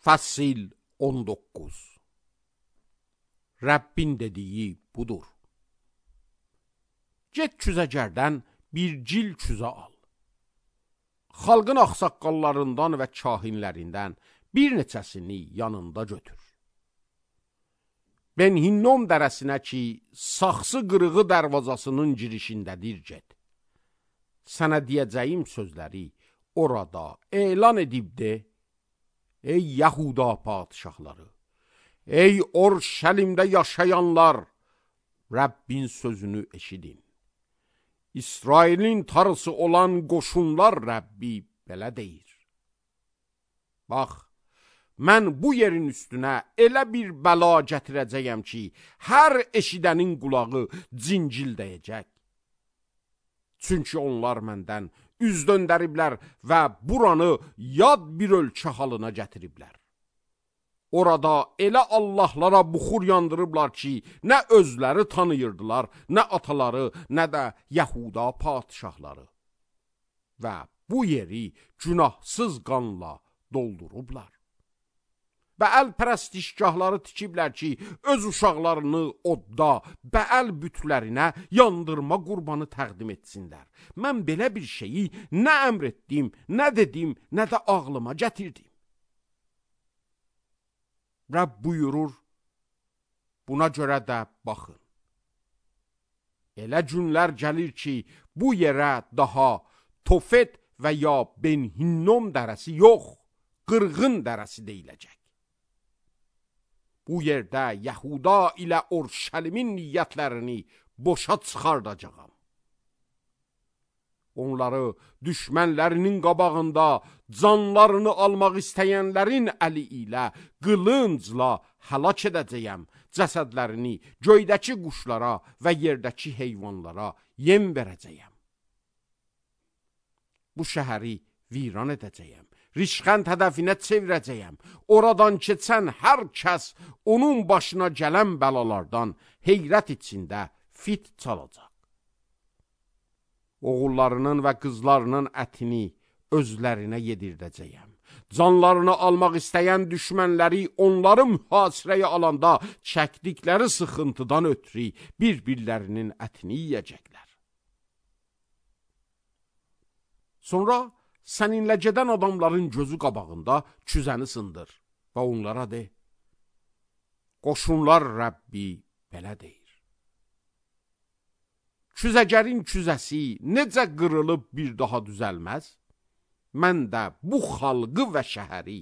Fəsil 19. Rəbbin dediyi budur. Get küzəgərdən bir cil küzə al. Xalqın ağsaqqallarından və kahinlərindən bir neçəsini yanında götür. Ben Hinnom dərəsinə ki, saxsı qırığı dərvazasının girişindədir get. Sənə deyəcəyim sözləri orada elan edib de, ey Yahuda padişahları, ey Orşəlimdə yaşayanlar, Rəbbin sözünü eşidin. İsrailin tarısı olan qoşunlar Rəbbi belə deyir. Bax, mən bu yerin üstünə elə bir bəla gətirəcəyəm ki, hər eşidənin qulağı cincildəyəcək. Çünki onlar məndən üz döndəriblər və buranı yad bir ölkə halına gətiriblər. Orada elə Allahlara buxur yandırıblar ki, nə özləri tanıyırdılar, nə ataları, nə də Yahuda padişahları. Və bu yeri günahsız qanla doldurublar. Bəəl pərəstişgahları tikiblər ki, öz uşaqlarını odda, bəəl bütlərinə yandırma qurbanı təqdim etsinlər. Mən belə bir şeyi nə əmr etdim, nə dedim, nə də ağlıma gətirdim. Rəbb buyurur, buna görə də baxın. Elə günlər gəlir ki, bu yerə daha Tofet və ya Ben Hinnom dərəsi yox, qırğın dərəsi deyiləcək. Bu yerdə Yahuda ilə Orşəlimin niyyətlərini boşa çıxardacağam. Onları düşmənlərinin qabağında canlarını almaq istəyənlərin əli ilə qılıncla həlak edəcəyəm. Cəsədlərini göydəki quşlara və yerdəki heyvanlara yem verəcəyəm. Bu şəhəri viran edəcəyəm. Rişxənd hədəfinə çevirəcəyəm. Oradan keçən hər kəs onun başına gələn bəlalardan heyrət içində fit çalacaq. Oğullarının və qızlarının ətini özlərinə yedirdəcəyəm. Canlarını almaq istəyən düşmənləri onları mühasirəyə alanda çəkdikləri sıxıntıdan ötürü bir-birlərinin ətini yiyəcəklər. Sonra səninlə gedən adamların gözü qabağında küzəni sındır və onlara de, qoşunlar Rəbbi belə deyir. Küzəgərin küzəsi necə qırılıb bir daha düzəlməz, mən də bu xalqı və şəhəri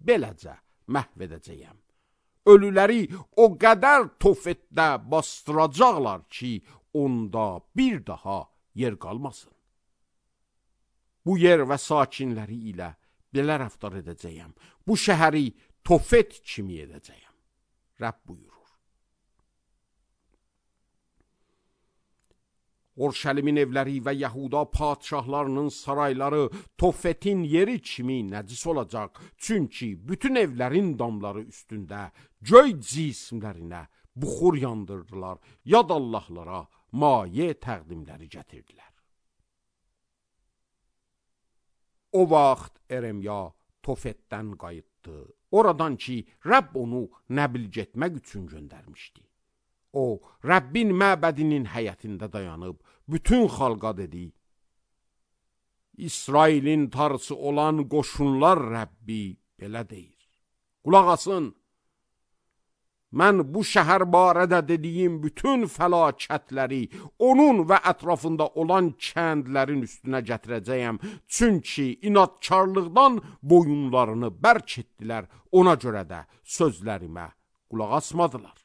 beləcə məhv edəcəyəm. Ölüləri o qədər Tofetdə bastıracaqlar ki, onda bir daha yer qalmasın. Bu yer və sakinləri ilə belə rəftar edəcəyəm. Bu şəhəri Tofet kimi edəcəyəm. Rəbb buyurur. Orşəlimin evləri və Yahuda padişahlarının sarayları Tofetin yeri kimi nəcis olacaq. Çünki bütün evlərin damları üstündə göy cismlərinə buxur yandırdılar, yad Allahlara maye təqdimləri gətirdilər. O vaxt Eremya Tofetdən qayıtdı. Oradan ki, Rəbb onu nəbil getmək üçün göndərmişdi. O, Rəbbin məbədinin həyətində dayanıb, bütün xalqa dedi, İsrailin tarısı olan qoşunlar Rəbbi belə deyir. Qulaq asın, mən bu şəhər barədə dediyim bütün fəlakətləri onun və ətrafında olan kəndlərin üstünə gətirəcəyəm. Çünki inadkarlıqdan boyunlarını bərk etdilər, ona görə də sözlərimə qulaq asmadılar.